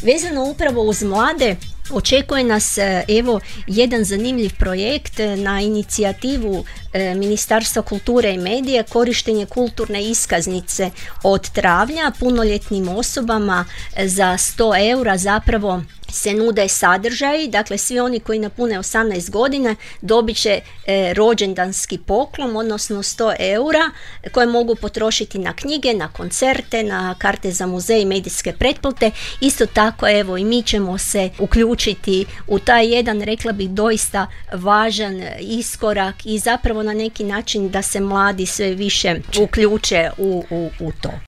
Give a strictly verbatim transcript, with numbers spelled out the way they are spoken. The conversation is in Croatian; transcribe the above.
Vezano upravo uz mlade, očekuje nas evo jedan zanimljiv projekt na inicijativu Ministarstva kulture i medija, korištenje kulturne iskaznice od travnja punoljetnim osobama za sto eura zapravo se nude sadržaji, dakle svi oni koji napune osamnaest godina dobit će e, rođendanski poklon, odnosno sto eura koje mogu potrošiti na knjige, na koncerte, na karte za muzej i medijske pretplate. Isto tako evo i mi ćemo se uključiti u taj jedan, rekla bih, doista važan iskorak i zapravo na neki način da se mladi sve više uključe u, u, u to.